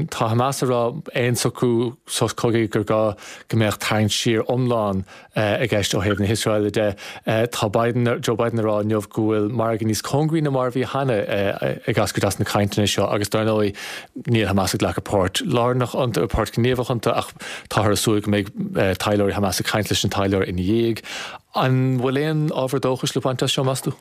tá Hamas ag rá aon socrú sos cogaidh gur gá go mbeadh tarraingt siar iomlán i gceist ó thaobh na hIosraeile de. Tá Biden, Joe Biden ag rá inniu go bhfuil margadh níos cóngaraí ná mar a bhí cheana ag eascairt as na cainteanna seo agus dar ndóigh níl Hamas ag glacadh páirt lárnach iontu, páirt ghníomhach iontu ach táthar ag súil go mbeidh taidhleoirí Hamas ag caint leis an taidhleoir ina dhiaidh. An bhfuil aon ábhar dóchais le baint as seo, meas tú?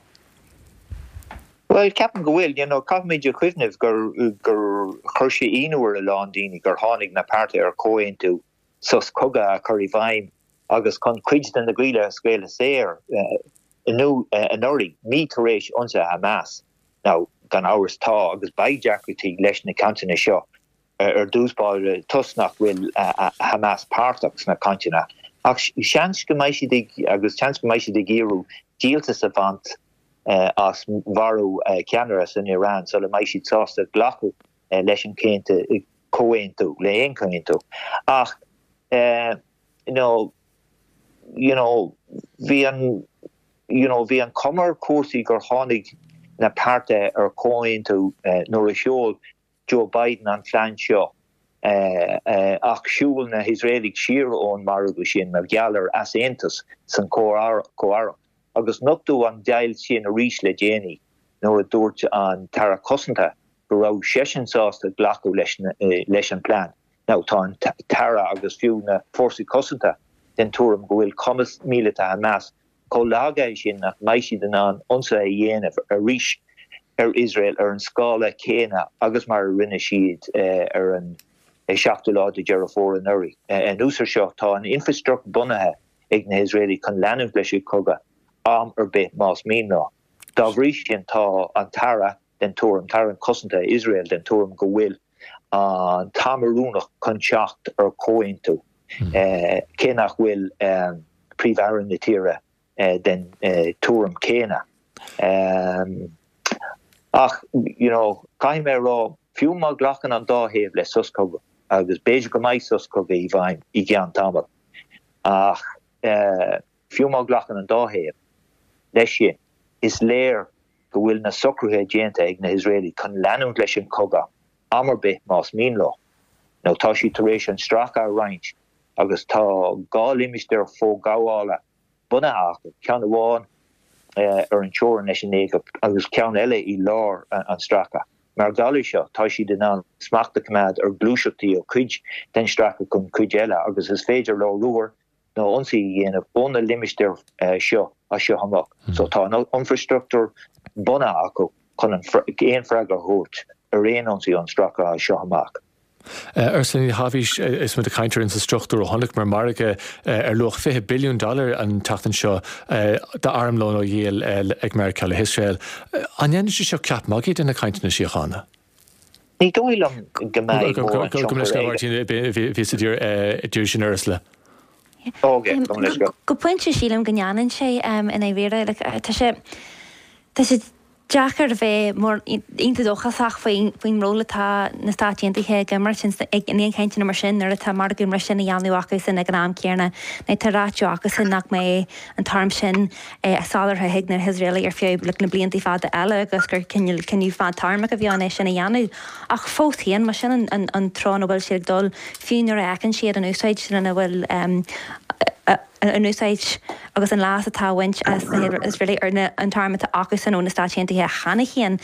Bhuel, ceapaim go bhfuil. You know, caithfimid a chuimhneamh gur gur chuir sé ionadh ar a lán daoine gur tháinig na páirtithe ar chomhaontú sos cogaidh a chur i bhfeidhm agus chun cuid de na giallais a scaoileadh saor anuraidh, mí tar éis ionsaithe Hamas. Now, gan amhras tá agus beidh deacrachtaí leis na cainteanna seo ar dtús báire toisc nach bhfuil Hamas páirteach sna cainteanna. Ach seans go mbeidh siad ag agus seans go mbeidh siad ag iarraidh díoltas a bhaint as mharú ceannaire san Iaráin sula mbeidh siad sásta glacadh leis an comhaontú, le haon chomhaontú. Ach you know, you know, bhí an, you know, bhí an chuma ar chúrsaí gur tháinig na páirtithe ar chomhaontú nuair a sheol Joe Biden an plean seo ach shiúil na hIosraelaigh siar ón margadh sin mar gheall ar easaontas san Chomh-Aireacht agus nochtadh an deighilt sin arís le déanaí nuair a dúirt an tAire Cosanta go raibh seisean sásta glacadh leis an bplean. Now tá an tAire agus fiú na Fórsaí Cosanta den tuairim go bhfuil cumas míleata Hamas chomh lagaithe sin nach mbeidh siad in ann ionsaithe a dhéanamh arís ar Iosrael ar an scála céanna agus mar a rinne siad ar an 7ú lá de Dheireadh Fómhair anuraidh. Anuas ar seo, tá an infreastruchtúr bunaithe ag na hIosraelaigh chun leanúint leis an gcogadh am ar bith más mian leo. Dá bhrí sin, tá an tAire den tuairim, tAire Cosanta Iosrael den tuairim go bhfuil an t-am oiriúnach chun teacht ar chomhaontú, cé nach bhfuil Príomh-Aire na tíre den tuairim chéanna. Ach, you know, caithfidh mé a rá, fiú má ghlacann an dá thaobh le sos cogaidh, agus b'fhéidir go mbeidh sos cogaidh i bhfeidhm i gceann tamaill, ach fiú má ghlacann an dá thaobh leis sin, is léir go bhfuil na socruithe déanta ag na hIosraelaigh chun leanúint leis an chogadh am ar bith más mian leo. Nó tá siad tar éis an stráice a roinnt agus tá 2 limistéar forghabhála bunaithe acu, ceann amháin ar an teorainn leis an Éigipt agus ceann eile i lár an stráice. Mar gheall air seo, tá siad in ann smacht a choimeád ar ghluaiseachtaí ó chuid den stráice chun cuid eile agus is féidir leo ruathair nó ionsaí a dhéanamh ó na limistéir seo as seo amach. So tá an infreastruchtúr bunaithe acu chun aon freagra a thabhairt ar aon ionsaí ón stráice as seo amach. Ursula Ní Thaibhís, is muid ag caint ar infreastruchtúr ó chonaiceamar margadh ar luach 20 billiún dollar an tseachtain seo d'armlón á dhíol ag Meiriceá le hIosrael. An ndéanann sé seo ceap magaidh de na cainteanna síochána? Ní dóigh liom go mbeidh mórán tionchar aige. Bhíos ag iarraidh sin Ursula. Go pointe sílim go ndéanann sé i ndáiríre. Tá sé tá sé deacair a bheith mór iontach dóchasach faoin faoin ról atá na Stáit Aontaithe ag imirt in aon chainteanna mar sin nuair atá margadh mar sin á dhéanamh acusan ag an am céanna. Nó tá ráite acusan nach mbeidh an t-arm sin á soláthar chuig na hIosraelaigh ar feadh na blianta fada eile agus gur cineál cinneadh fadtéarmach a bhí ann é sin a dhéanamh. Ach fós féin, más sin an treo ina bhfuil siad ag dul, fiú nuair a fheiceann siad an úsáid lena bhfuil an úsáid agus an leas atá á bhaint as na hIosraelaigh ar an t-arm atá acusan ó na Stáit Aontaithe cheana féin,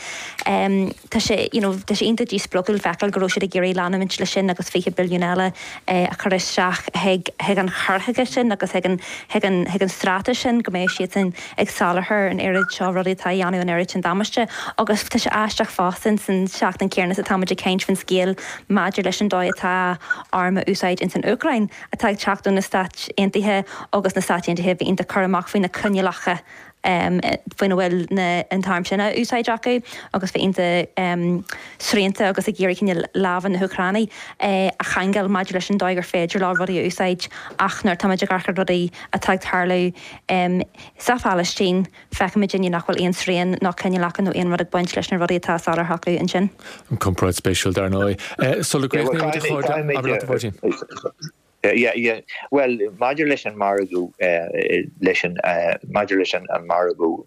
tá sé, you know, tá sé iontach díspreagúil feiceáil go raibh siad ag iarraidh leanúint leis sin agus 20 billiún eile a chur isteach chuig chuig an chur chuige sin agus chuig an chuig an chuig an straitéis sin go mbeadh siadsan ag soláthar an oiread seo rudaí atá a dhéanamh an oiread sin damáiste agus tá sé aisteach fosta ins an seachtain céanna is atá muid ag caint faoin scéal maidir leis an dóigh atá arm á úsáid ins an Úcráin atá ag teacht ó na Stáit Aontaithe agus na Stáit Aontaithe a bheith iontach cúramach faoi na coinníollacha faoina bhfuil an t-arm sin á úsáid acu agus bheith iontach srianta agus ag iarraidh cineál lámha na hÚcráine a cheangal maidir leis an dóigh gur féidir leo rudaí a úsáid ach nuair atáimid ag amharc ar rudaí atá ag tarlú sa Phalaistín feicimid inniu nach bhfuil aon srian nó coinníollacha nó aon rud ag baint leis na rudaí atá á soláthar acu ansin. Comparáid spéisiúil dar ndóigh. Sula gcríochnaímid a chairde, abair leat a Mháirtín. Yeah, yeah. Bhuel, maidir leis an margadh, leis an, maidir leis an margadh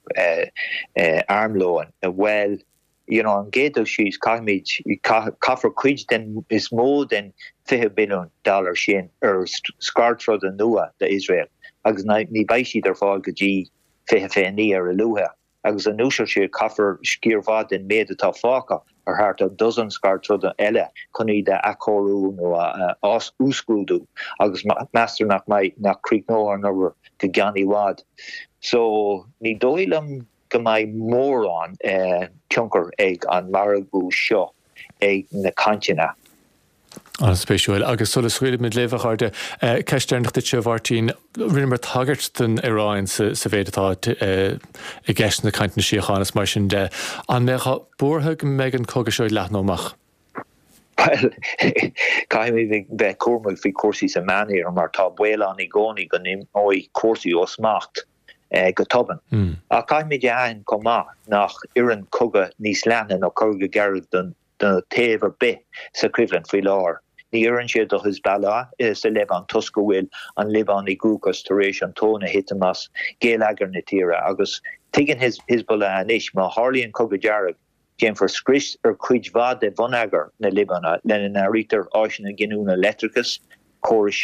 armlóin, bhuel, you know, an gcéad dul síos, caithfimid, caithfear cuid den, is mó den 20 billiún dollar sin ar scairdtroda nua d'Iosrael agus ní beidh siad ar fáil go dtí 2029 ar a luaithe. Agus anuas air sin, caithfear sciar mhaith den méid atá fágtha ar thart ar dosaen scairdtroda eile chun iad a athchóiriú nó a uasghrádú agus meastar nach mbeidh, nach gcríochnóidh an obair go gceann i bhfad. So, ní dóigh liom go mbeidh mórán tionchar ag an margadh seo ag na cainteanna. An-spéisiúil. Agus sula scaoilfimid libh, a chairde, ceist deireanach duitse, a Mháirtín. Rinneamar tagairt don Iaráin sa mhéid atá i gceist sna cainteanna síochána is mar sin de. An mbeifeá buartha go mbeidh an cogadh seo ag leathnú amach? Bhuel, caithfimid bheith cúramach faoi chúrsaí sa Meánoirthear mar tá baol ann i gcónaí go n-imeoidh cúrsaí ó smacht go tobann. Ach caithfimid a aithint chomh maith nach oireann cogadh níos leithne nó cogadh dearg don do thaobh ar bith sa choimhlint faoi láthair. Ní oireann sé do Hezbollah sa Liobáin toisc go bhfuil an Liobáin i gcruachás tar éis an tóin a thitim as geilleagar na tíre agus tuigeann Hezbollah anois má tharlaíonn cogadh dearg déanfar scrios ar chuid mhaith de bhonneagar na Liobáine lena n-áirítear áiseanna giniúna leictreachais, córais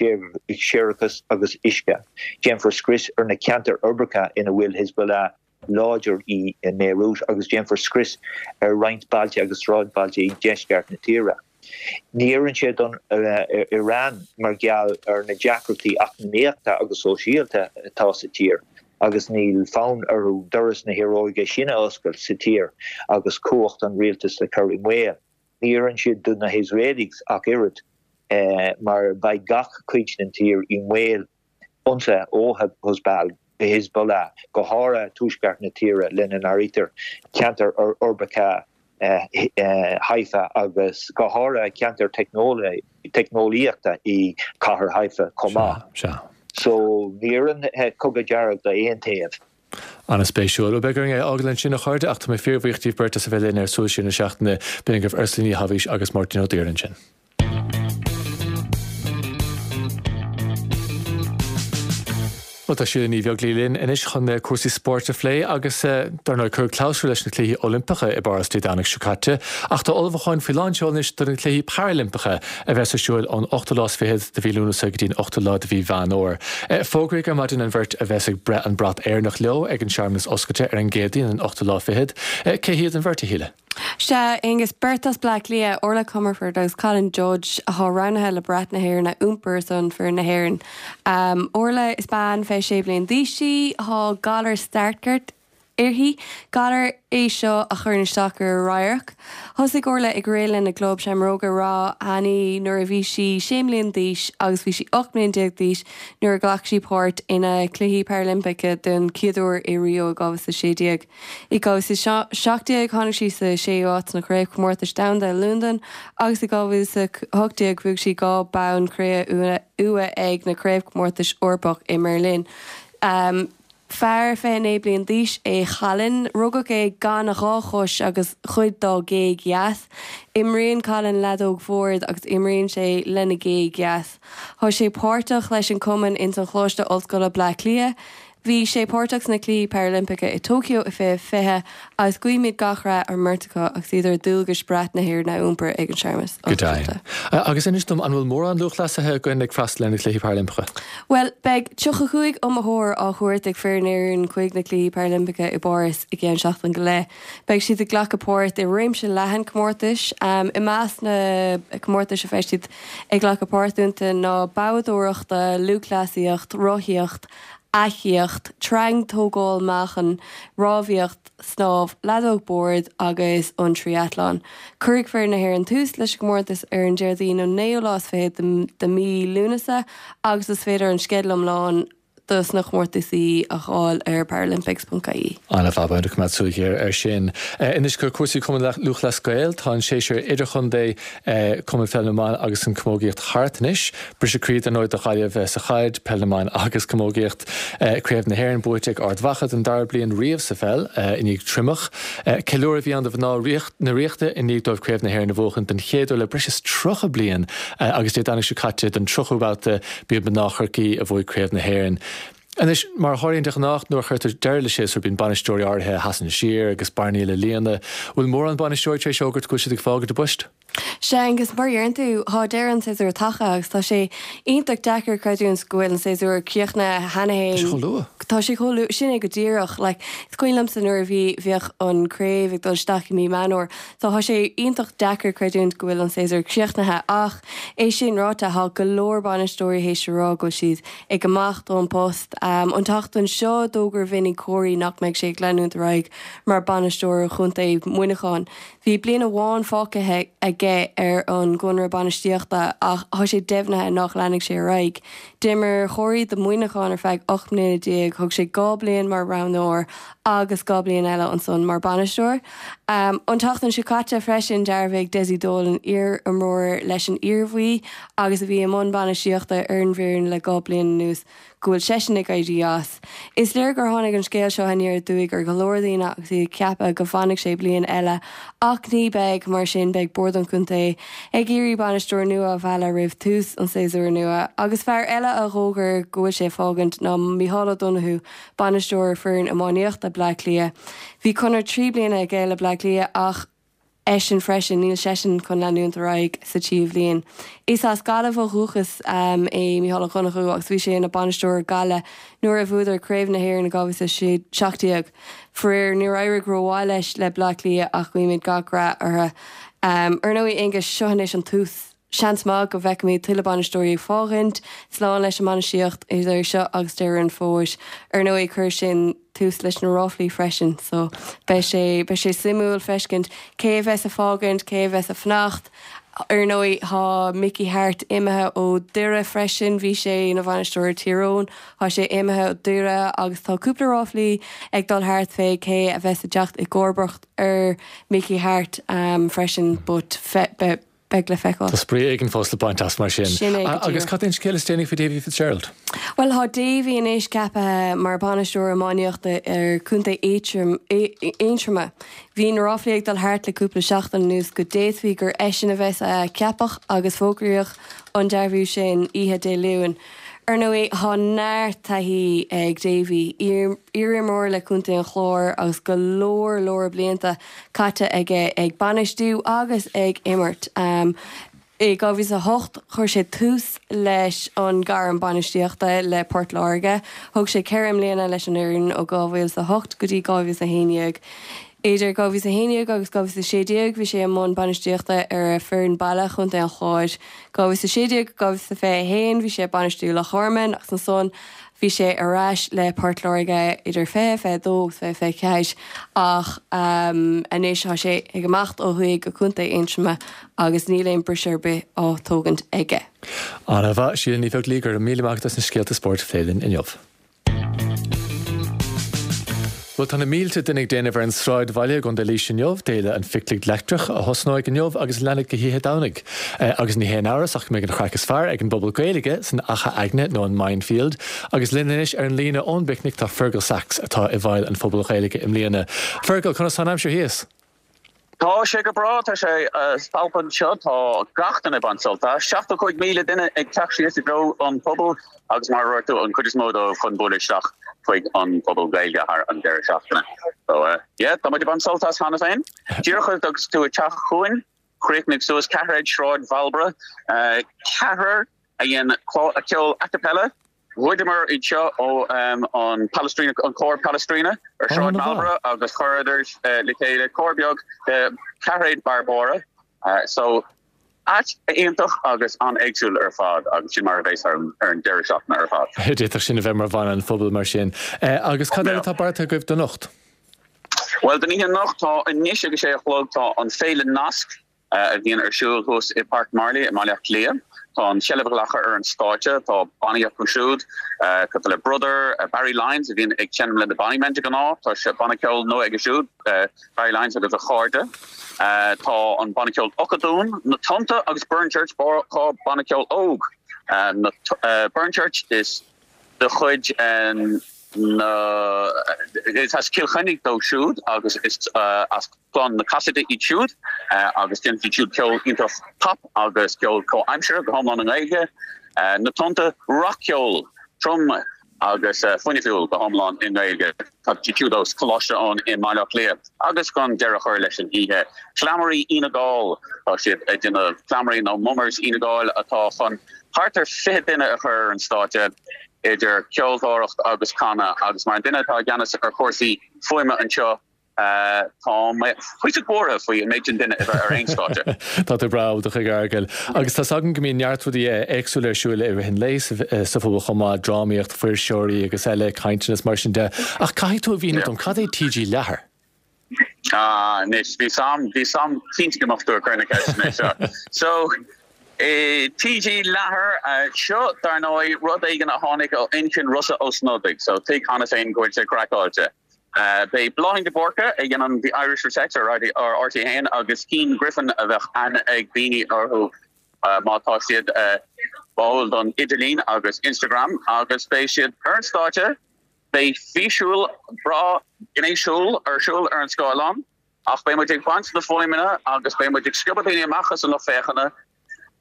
séarachais agus uisce. Déanfar scrios ar na ceantair uirbeacha ina bhfuil Hezbollah láidir i mBeirut agus déanfar scrios ar roinnt bailte agus sráidbhailte i ndeisceart na tíre. Ní oireann sé don Iaráin mar gheall ar na deacrachtaí eacnamaíochta agus sóisialta atá sa tír agus níl fonn orthu doras na hiaróige sin a oscailt sa tír agus cumhacht an rialtais a chur i mbaol. Ní oireann sé do na hIosraelaigh ach oiread mar beidh gach cuid den tír i mbaol ionsaithe ó Hezbollah, go háirithe tuaisceart na tíre, lena n-áirítear ceantair uirbeacha Haifa agus go háirithe ceantair teicneolaíochta i gcathair Haifa chomh maith. So ní oireann cogadh dearg d'aon taobh. An-spéisiúil. Bhuel, beidh orainn é a fhágáil ansin, a chairde, ach tá mé fíorbhuíoch díbh beirt as a bheith linn ar Súil Siar na Seachtaine. B'in agaibh Ursula Ní Thaibhís agus Máirtín Ó Duibhir ansin. Bhuel, tá Síle Ní Bheaglaoí linn anois chun cúrsaí spóirt a phlé agus, dar ndóigh, cuireadh clabhsúr leis na Cluichí Oilimpeacha i bPáras Dé Domhnaigh seo caite ach tá ullmhúcháin faoi lán seoil anois do na Cluichí Parailimpeacha a bheas ar siúl ón ochtú lá is fichead de mhí Lúnasa go dtí an ochtú lá de mhí Mheán Fhómhair. Fógraíodh ar maidin an bheirt a bheas ag breith an brat Éireannach leo ag an searmanas oscailte ar an gCéadaoin an ochtú lá fichead. Cé hiad an bheirt, a Shíle? Sea, Aengus, beirt as Bleá Cliath, Orla Comerford agus Colin Judge, atá roghnaithe le brat na hÉireann a iompar ar son foireann na hÉireann. Orla, is bean 26 bliain d'aois í, tá galar Stargardt uirthi, galar é seo a chuireann isteach ar a radharc. Thosaigh Orla ag rith lena gclub Seamróga Ráth Eanaigh nuair a bhí sí 6 mbliana d'aois agus bhí sí 18 mbliana d'aois nuair a ghlac sí páirt ina Cluichí Parailimpeacha den chéad uair i Rio i 2016. I 2017 tháinig sí sa séú háit sna Craobhchomórtais Domhanda i Londain agus i 2018 bhuaigh sí 2 bonn cré-umha ag na Craobhchomórtais Eorpach i mBeirlín. Fear 29 bliain d'aois é Colin. Rugadh é gan a dhá chois agus cuid dá ghéag dheas. Imríonn Colin leadóg bhoird agus imríonn sé lena ghéag dheas. Tá sé páirteach leis an cumann ins an Choláiste Ollscoile Bleá Cliath. Bhí sé páirteach sna Cluichí Parailimpeacha i Tokyo i 2020 agus guímid gach rath ar an mbeirt acu agus iad ar dualgais brat na hÉireann a iompar ag an searmanas Go deimhin. Agus inis dom, an bhfuil mórán lúthchleasaithe againn ag freastal ar na Cluichí Parailimpeacha? Bhuel, beidh 35 iomaitheoir á thabhairt ag foireann Éireann chuig na Cluichí Parailimpeacha i bPáras i gceann seachtain go leith. Beidh siad ag glacadh páirt i réimse leathan comórtais. I measc na comórtais a bheidh siad ag glacadh páirt iontu ná boghdóireachta, lúthchleasaíocht, rothaíocht, eachaíocht, tarraingt, tógáil meáchain, rámhaíocht, snámh, leadóg boird agus an trí-athlán. Cuirfidh foireann na hÉireann tús leis an gcomórtas ar an Déardaoin an naoú lá is fichead de mhí Lúnasa agus is féidir an sceideal iomlán. dos na comórtasaí a dh'fháil ar paralympics.ie. Ana-mhaith, beidh muid ag coimeád súil ghéar air sin. Anois go cúrsaí Cumann Lúthchleas Gael, tá an séasúr idirchontae Cumann Pheil na mBan agus an Camógaíocht thart anois. Briseadh croí dar ndóigh do Ghaillimh sa chaid, Peil na mBan agus Camógaíocht. Craobh na hÉireann buaite ag Ard Mhacha don dara bliain riamh sa pheil i ndiaidh Triomach. Ceiliúradh a bhí ann do mhná na Ríochta i ndiaidh dóibh Craobh na hÉireann a bhuachan den chéad uair le breis is 30 bliain agus Dé Domhnaigh seo caite don tríochú babhta b'iad mná Chorcaí a bhuaigh Craobh na hÉireann. Anois, mar a tharlaíonn de ghnách nuair a chuirtear deireadh le séasúr bíonn bainisteoirí áirithe a sheasann siar agus bearnaí le líonadh. Bhfuil mórán bainisteoirí tar éis fhógairt go bhfuil siad ag fágaint a bpoist? Sea, Aengus, mar a deireann tú, thá deireadh an tséasúir tagtha agus tá sé iontach deacair creidiúint go bhfuil an séasúr críochnaithe cheana féin. Tá sé chomh luath. Tá sé chomh luath, sin é go díreach. Like, is cuimhin liomsa nuair a bhí, bhíodh an craobh ag dul isteach i mí Meán Fhómhair. So thá sé iontach deacair creidiúint go bhfuil an séasúr críochnaithe ach é sin ráite, thá go leor bainisteoirí théis a rá go bhfuil siad ag imeacht ón bpost. An tseachtain seo, d'fhógair Vinny Corey nach mbeidh sé ag leanúint ar aghaidh mar bhainisteoir chontae Mhuineacháin. Bhí bliain amháin fágtha aige ar an gconradh bainistíochta ach tá sé deimhnithe nach leanfaidh sé ar aghaidh. D'imir Corey do Mhuineachán ar feadh 18 mbliana, thug sé 2 bliain mar roghnóir agus 2 bliain eile ansan mar bainisteoir. An tseachtain seo caite freisin, dhearbhaigh Dessie Dolan, iar-imreoir leis an Iarmhí agus a bhí i mbun bainistíochta ar an bhfoireann le 2 bliain anuas, go bhfuil seisean ag éirí as. Is léir gur tháinig an scéal seo aniar aduaidh ar go leor daoine agus iad ag ceapadh go bhfanfadh sé bliain eile ach ní beidh, mar sin beidh Bord an Chontae ag iarraidh bainisteoir nua a mhealladh roimh tús an tséasúir nua. Agus fear eile a dh'fhógair go bhfuil sé ag fágaint ná Micheál Ó Donoghue, bainisteoir foireann iománaíochta Bleá Cliath. Bhí conradh 3 bliana aige le Bleá Cliath ach eisean freisin, níl seisean chun leanúint ar aghaidh sa tríú bhliain. Is as Gaillimh ó dhúchas é Micheál Ó Donnchú agus bhí sé ina bhainisteoir ar Gaillimh nuair a bhuadar Craobh na hÉireann i 2017. Faraor, níor éirigh rómhaith leis le Bleá Cliath ach guímid gach rath orthu. Ar ndóigh, Aonghus, seo anois an tús. Seans maith go bhfeicfimid tuilleadh bainisteoirí ag fágaint slán leis an mbainistíocht idir seo agus deireadh an fhómhair. Ar ndóigh, chuir sin tús leis na ráflaí freisin so beidh sé, beidh sé suimiúil feiscint cé a bheas ag fágaint, cé a bheas ag fanacht. Ar ndóigh, tá Mickey Harte imithe ó Doire freisin, bhí sé ina bhainisteoir ar Tír Eoghain, tá sé imithe ó Doire agus tá cúpla ráflaí ag dul thart fé cé a bheas ag teacht i gcomharbacht ar Mickey Harte freisin but beidh Beidh le feiceáil. Tá spraoi éigin fós le baint as mar sin. Sin é go díreach. Agus cad é an scéal is déanaí faoi Davy Fitzgerald? Bhuel, tá Davy anois ceaptha mar bhainisteoir iománaíochta ar Chontae Aontroma. Bhí na ráflaí ag dul thart le cúpla seachtain anuas go d'fhéadfaí gur eisean a bheas á cheapadh agus fógraíodh an dearbhú sin oíche Dé Luain. Ar ndóigh, tá neart taithí ag Davy, iarimreoir le Contae an Chláir agus go leor leor blianta caite aige ag bainistiú agus ag imirt. I 2008 chuir sé tús leis an gairm bainistíochta le Port Láirge. Thug sé ceithre mbliana leis an fhoireann ó 2008 go dtí 2011. Idir 2011 agus 2016 bhí sé i mbun bainistíochta ar a foireann baile, Chontae an Chláir. 2016-2021 bhí sé ag bainistiú Loch Garman agus ansan Bhí sé ar ais le Port Láirge idir 2022 agus 2024 ach anois tá sé ag imeacht ó thuaidh go Contae Aontroma agus níl aon briseadh ar bith á tógaint aige. Ana-mhaith, Síle Ní Bheaglaoí, go raibh míle maith agat as na scéalta spóirt a phlé linn inniu. Bhuel, tá na mílte duine ag déanamh ar an Sráidbhaile i gContae Laoise inniu, d'fhéile an Phicnic Leictreach, a thosnóidh inniu agus a leanfaidh go hoíche Domhnaigh. Agus ní haon amhras ach go mbeidh an chraic is fearr ag an bpobal Gaeilge san Achadh Aigne nó an Minefield. Agus linn anois ar an líne ón bPicnic tá Fergal Sachs atá i bhfeighil an Phubaill Ghaeilge i mbliana. Fergal, conas tá an aimsir thíos? Tá sé go breá, tá sé spalptha anseo, tá gach duine ag baint sult as. 75,000 duine ag teacht síos i dtreo an phubaill agus mar a dúirt tú, an chuid is mó dóibh chun bualadh isteach chuig an bPuball Gaeilge thar an deireadh seachtaine. So yeah, tá muid ag baint sult as cheana féin. Díreach agus tú ag teacht chugainn, chríochnaigh suas ceathairéad Sráid Mharlborough, ceathrar a dhein ceol a cappella, Ghoideamar iad seo ó an Palestrina, an cór Palestrina ar Sráid Marlborough agus chuireadar le chéile cór beag de Ceathairéad Barbóra. So, áit iontach agus an-éagsúil ar fad agus sin mar a bheas ar an deireadh seachtaine ar fad. D'fhéadfadh sin a bheith mar mhana an phobail mar sin. Agus cad eile atá beartaithe agaibh don anocht? Bhuel, don oíche anocht, tá anois ag a sé a chlog, tá an Féile Nasc. a bhíonn ar siúl thuas i Páirc Marlay i mBaile Átha Cliath. Tá an tseilbh glactha ar an stáitse, tá bannaí acu siúd, cosúil le Brother, Barry Lyons a bhíonn ag seinm le na Bonny Men de ghnáth, tá sé banna ceoil nua aige siúd, Barry Lyons agus a chairde. Tá an banna ceoil Ocadún, Na Tonnta agus Burnchurch, 2 banna ceoil óg. Burnchurch is de chuid na, is as Cill Chainnigh dóibh siúd agus is as clann na Cassidy iad siúd agus déanann siad siúd ceol iontach pop agus ceol comhaimseartha go hiomlán i nGaeilge. Na Tonnta, rac-cheol trom agus fuinniúil go hiomlán i nGaeilge. Tá siad siúd ó Choláiste Eoin i mBaile Átha Cliath agus chun deireadh a chur leis an oíche, Cleamairí Fhine Gall, tá siad ag déanamh cleamairí nó mummers Fhine Gall atá chun thart ar 20 duine a chur ar an stáitse idir ceoltóireacht agus canadh agus mar an duine atá i gceannas ar chúrsaí fuaime anseo tá mé cuíosach buartha faoi an méid sin duine a bheith ar aon stáitse. Tá tú breá ábalta chuige, a Fheargail. Agus tá's agam go mbíonn neart rudaí éagsúla ar siúl i rith an lae sa phuball chomh maith, drámaíocht, fuirseoirí agus eile, cainteanna is mar sin de. Ach caithfidh tú a mhíniú dom, cad é TG Leathair? Ah, anois, bhí 's a'm, bhí 's a'm cinnte go mbeadh tú ag cur na ceisteanna seo. So, TG Leathair, seo, dar ndóigh, rud éigin a tháinig ó inchinn Rossa Ó Snodaigh, so tuig cheana féin go bhfuil sé craiceáilte. Beidh Bláithín de Búrca a dhéanann The Irish Reset ar RTÉ 1 agus Cian Griffin a bheadh aithne ag daoine orthu má tá siad báúil don idirlíon agus Instagram agus beidh siad ar an stáitse Beidh físiúil breá gnéasúil ar siúl ar an scáileán, ach beidh muid ag baint na fuaimeanna agus beidh muid ag sciobadh daoine amach as an lucht féachana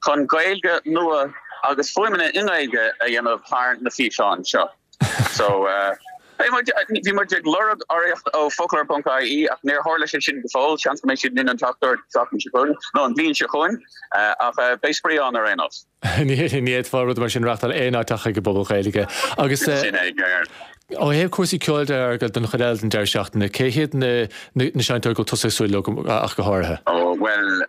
chun Gaeilge nua agus fuaimeanna i nGaeilge a dhéanamh thar na físeáin seo. So, beidh muid, bhí muid ag lorg urraíocht ó Foclóir ponc ie ach níor tharla sé sin go fóill, seans go mbeidh siad linn an tseachtain seo chugainn nó an bhliain seo chugainn, ach beidh spraoi ann ar aon nós. Ní fhéadfá rud mar sin a reachtáil aon áit ach ag an bPuball Gaeilge. Agus Sin é, ceart. ó thaobh cúrsaí ceoil de, a Fheargail, don chuid eile den deireadh seachtaine, cé hiad na na seinnteoirí go bhfuil tusa ag súil leo ach go háirithe? Ó, bhuel,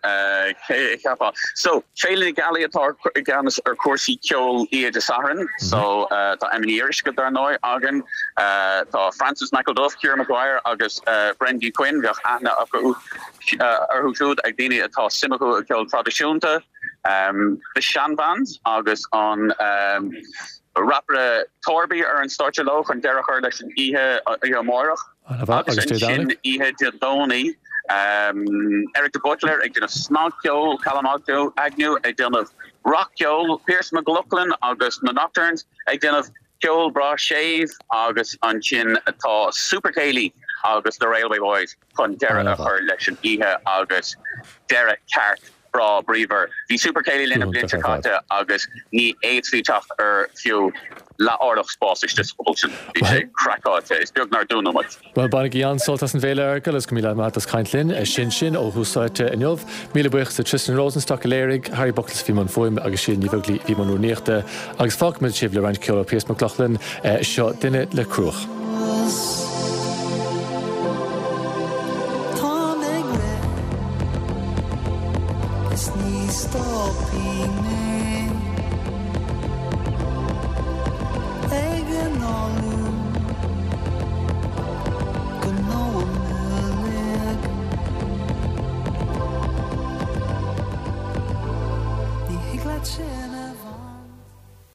cé a cheapfá? So, Féile na Gealaí atá i gceannas ar chúrsaí ceoil oíche Dé Sathairn. So, tá Emma Ní Fhíoruisce, dar ndóigh, againn. Tá Francis McElduff, Ciara Maguire agus Brendy Quinn, bheadh aithne acu orthu siúd ag daoine atá suim acu i gceol traidisiúnta. The Shan Band agus an rapaire Torby ar an stáitse leo chun deireadh a chur leis an oíche oíche amárach. Agus ansin oíche Dé Domhnaigh, Eric de Buitléir ag déanamh snagcheol, Callum Agnew ag déanamh rac-cheol, Pearse McLoughlin agus na Nocturnes ag déanamh ceol breá séimh agus ansin tá Super Céilí agus The Railway Boys chun deireadh a chur leis an oíche agus deireadh ceart breá bríomhar. Bhí Super Céilí linn an bhliain seo caite agus ní fhéadfaí teacht ar fiú leath-orlach spáis istigh sa phuball sin. Bhí sé craiceáilte. Is beag nár dúnadh muid. Bhuel, bainigí an-sult as an bhféile, a Fheargail, agus go míle maith agat as caint linn. Sin sin ó Thús Áite inniu. Míle buíochas do Tristan Rosenstock a léirigh, Harry Buckles a bhí i mbun fuaime agus Síle Ní Bheaglaoí a bhí i mbun rúnaíochta. Agus fágfaimid sibh le roinnt ceoil ó Pearse McLoughlin, seo Duine le Cruach. Táim ag rith is ní stopfaidh mé ag análú go domhan uilig. Ní thig leat sin.